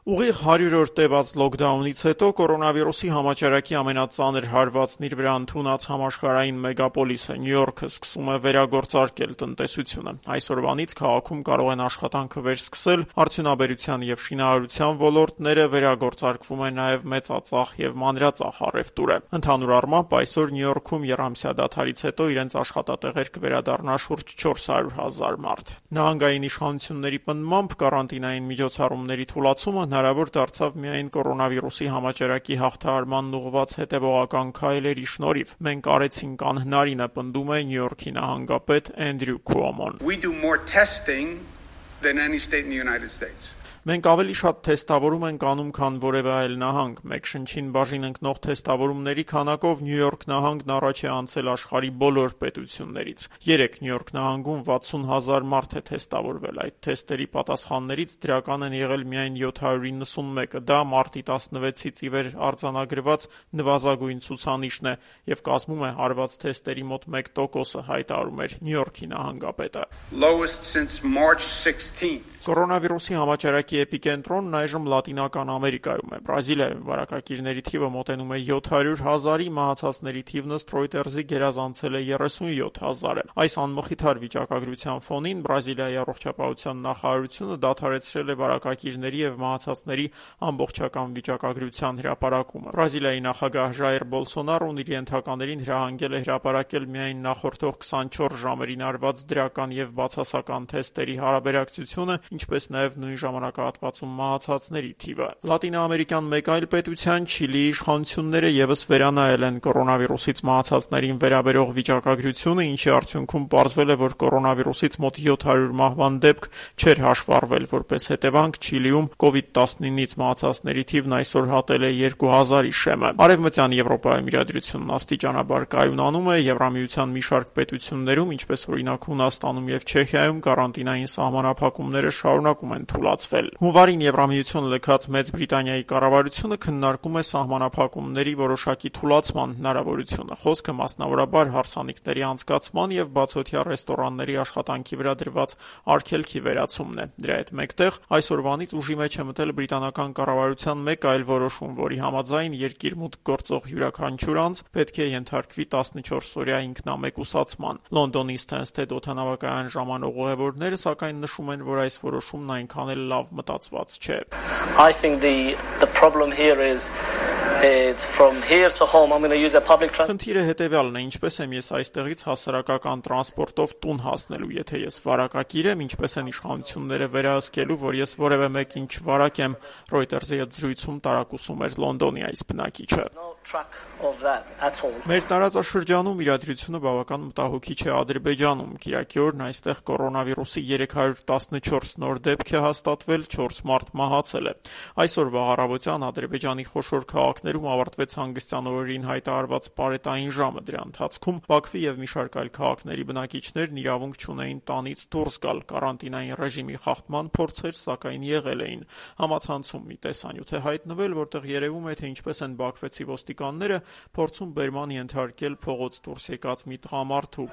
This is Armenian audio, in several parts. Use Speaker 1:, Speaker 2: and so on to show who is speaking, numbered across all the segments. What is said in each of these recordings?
Speaker 1: Ուղիղ 100 օր տևած լոքդաունից հետո կորոնավիրուսի համաճարակի ամենածանր հարվածն իր վրա ընդունած համաշխարհային մեգապոլիսը Նյու Յորքը սկսում է վերագործարկել տնտեսությունը։ Այսօրվանից քաղաքում կարող են աշխատանքը վերսկսել արդյունաբերության եւ շինարարության ոլորտները, վերագործարկվում է նաեւ մեծածախ եւ մանրածախ առևտուրը։ Ընդհանուր առմամբ այսօր Նյու Յորքում եռամսյա դադարից հետո իրենց աշխատատեղեր կվերադառնա շուրջ 400,000 մարդ։ Նահանգային իշխանությունների պնդմամբ կարանտինային միջոցառումների թուլացումը հնարավոր դարձավ միայն կորոնավիրուսի համաճարակի հաղթահարմանն ուղղված հետևողական քայլերի շնորհիվ։ Մենք արեցինք անհնարինը, պնդում է Նյու Յորքի նահանգապետ Էնդրյու Քուոմոն։
Speaker 2: We do more testing than any state in the United States.
Speaker 1: Մենք ավելի շատ թեստավորում ենք անում, քան որևէ այլ նահանգ։ Մեկ շնչին բաժին ընկնող թեստավորումների քանակով Նյու Յորք նահանգն առաջ է անցել աշխարհի բոլոր պետություններից։ Երեկ Նյու Յորք նահանգում 60,000 մարդ է թեստավորվել։ Այդ թեստերի պատասխաններից դրական են եղել միայն 791-ը։ Դա մարտի 16-ից ի վեր արձանագրված նվազագույն ցուցանիշն է եւ կազմում է հարված թեստերի մոտ 1%-ը, հայտարարում էր Նյու Յորքի նահանգապետը։
Speaker 2: Lowest since March 16th.
Speaker 1: Կորոնավիրուսի համաճարակի էպիկենտրոնն այժմ Լատինական Ամերիկայում է։ Բրազիլիայում վարակակիրների թիվը մոտենում է 700,000-ի, մահացածների թիվն ըստ Reuters-ի գերազանցել է 37,000-ը։ Այս անմխիթար վիճակագրության ֆոնին Բրազիլիայի առողջապահության նախարարությունը դադարեցրել է վարակակիրների եւ մահացածների ամբողջական վիճակագրության հրապարակումը։ Բրազիլիայի նախագահ Ժայր Բոլսոնարոն իր ենթականերին հրահանգել է հրապարակել միայն նախորդող 24 ժամերին արված դրական եւ բացասական թեստերի հարաբերակցությունը, ինչպես նաև նույն ժամանակահատվածում մահացածների թիվը։ Լատինաամերիկյան մեկ այլ պետության Չիլիի իշխանությունները եւս վերանայել են կորոնավիրուսից մահացածներին վերաբերող վիճակագրությունը, ինչի արդյունքում պարզվել է, որ կորոնավիրուսից մոտ 700 մահվան դեպք չէր հաշվառվել։ Որպես հետևանք Չիլիում COVID-19-ից մահացածների թիվն այսօր հատել է 2000-ի շեմը։ Արևմտյան Եվրոպայում իրադրությունն աստիճանաբար կայունանում է։ Եվրամիության մի շարք պետություններում, ինչպես օրինակ Հունաստանում եւ Չեխիայում, կարանտինային սահմանափակումները շարունակում են թուլացվել։ Հունվարին Եվրամիությունը լքած Մեծ Բրիտանիայի կառավարությունը քննարկում է սահմանափակումների որոշակի թուլացման հնարավորությունը։ Խոսքը մասնավորաբար հարսանիքների անցկացման եւ բացօթյա ռեստորանների աշխատանքի վրա դրված արգելքի վերացումն է։ Դրա հետ մեկտեղ այսօրվանից ուժի մեջ է մտել բրիտանական կառավարության մեկ այլ որոշում, որի համաձայն երկիր մուտք գործող յուրաքանչյուր անձ պետք է ենթարկվի 14-օրյա ինքնամեկուսացման։ Լոնդոնի Stansted օդանավակայան ժամանող ուղևորները սակայն նշում են, որ այս որոշումն այնքան էլ լավ մտածված չէ։
Speaker 3: I think the problem here is it's from here to home I'm going to use a public transport.
Speaker 1: Խնդիրը հետևյալն է, ինչպես եմ ես այստեղից հասարակական տրանսպորտով տուն հասնելու, եթե ես վարակակիր եմ, ինչպես են իշխանությունները վերահսկելու, որ ես որևէ մեկին չվարակեմ, Reuters-ի հետ զրույցում տարակուսում էր Լոնդոնի այս բնակիչը։ Մեր տարածաշրջանում իրադրությունը բավական մտահոգիչ է Ադրբեջանում։ Կիրակի օրն այստեղ կորոնավիրուսի 314 նոր դեպք է հաստատվել, 4 մարդ մահացել է։ Այսօրվա առավոտյան Ադրբեջանի խոշոր քաղաքներում ավարտվեց հանգստյան օրերին հայտարարված պարետային ժամը։ Դրա ընթացքում Բաքվի եւ մի շարք այլ քաղաքների բնակիչներն իրավունք չունեին տանից դուրս գալ։ Կարանտինային ռեժիմի խախտման փորձեր սակայն եղել էին։ Համացանցում մի տեսանյութ է հայտնվել, որտեղ երևում է, թե ինչպես են բաքվեցի ոստիկանները փորձում բերման ենթարկել փողոց դուրս եկած մի տղամարդու։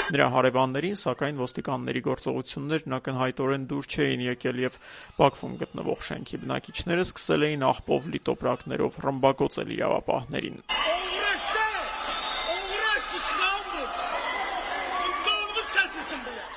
Speaker 1: Նրա հարևաններին, սակայն ոստիկանների գործողություններն ակնհայտորեն դուր չէին եկել եւ Բաքվում գտնվող շենքի բնակիչները սկսել էին աղբով լի տոպրակներով ռմբակոծել իրավապահներին։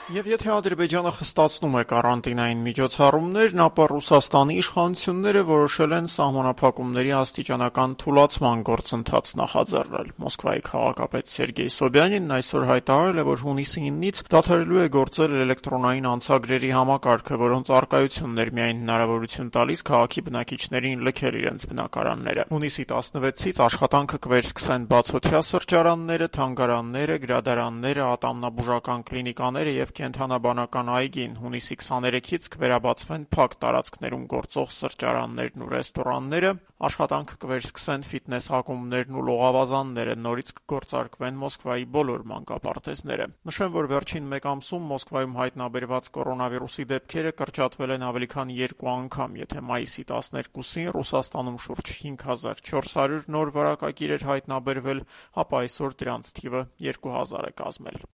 Speaker 1: Եվ եթե Ադրբեջանը խստացնում է կարանտինային միջոցառումներն, ապա Ռուսաստանի իշխանությունները որոշել են սահմանափակումների աստիճանական թուլացման գործընթաց նախաձեռնել։ Մոսկվայի քաղաքապետ Սերգեյ Սոբյանինն այսօր հայտարարել է, որ հունիսի 9-ից դադարելու է գործել էլեկտրոնային անցագրերի համակարգը, որոնց առկայությունն էր միայն հնարավորություն տալիս քաղաքի բնակիչներին լքել իրենց բնակարանները։ Հունիսի 16-ից աշխատանքը կվերսկսեն բացօթյա սրճարանները, թանգարանները, գրադարանները, ատամնաբուժական կլինիկաները եւ կենթանաբանական այգին։ Հունիսի 23-ից կվերաբացվեն փակ տարածքներում գործող սրճարաններն ու ռեստորանները, աշխատանք կվերսկսեն ֆիթնես ակումբներն ու լողավազանները, նորից կգործարկվեն Մոսկվայի բոլոր մանկապարտեզները։ Նշեմ, որ վերջին մեկ ամսում Մոսկվայում հայտնաբերված կորոնավիրուսի դեպքերը կրճատվել են ավելի քան 2 անգամ, եթե մայիսի 12-ին Ռուսաստանում շուրջ 5400 նոր վարակակիր էր հայտնաբերվել, ապա այսօր դրանց թիվը 2000 է կազմել։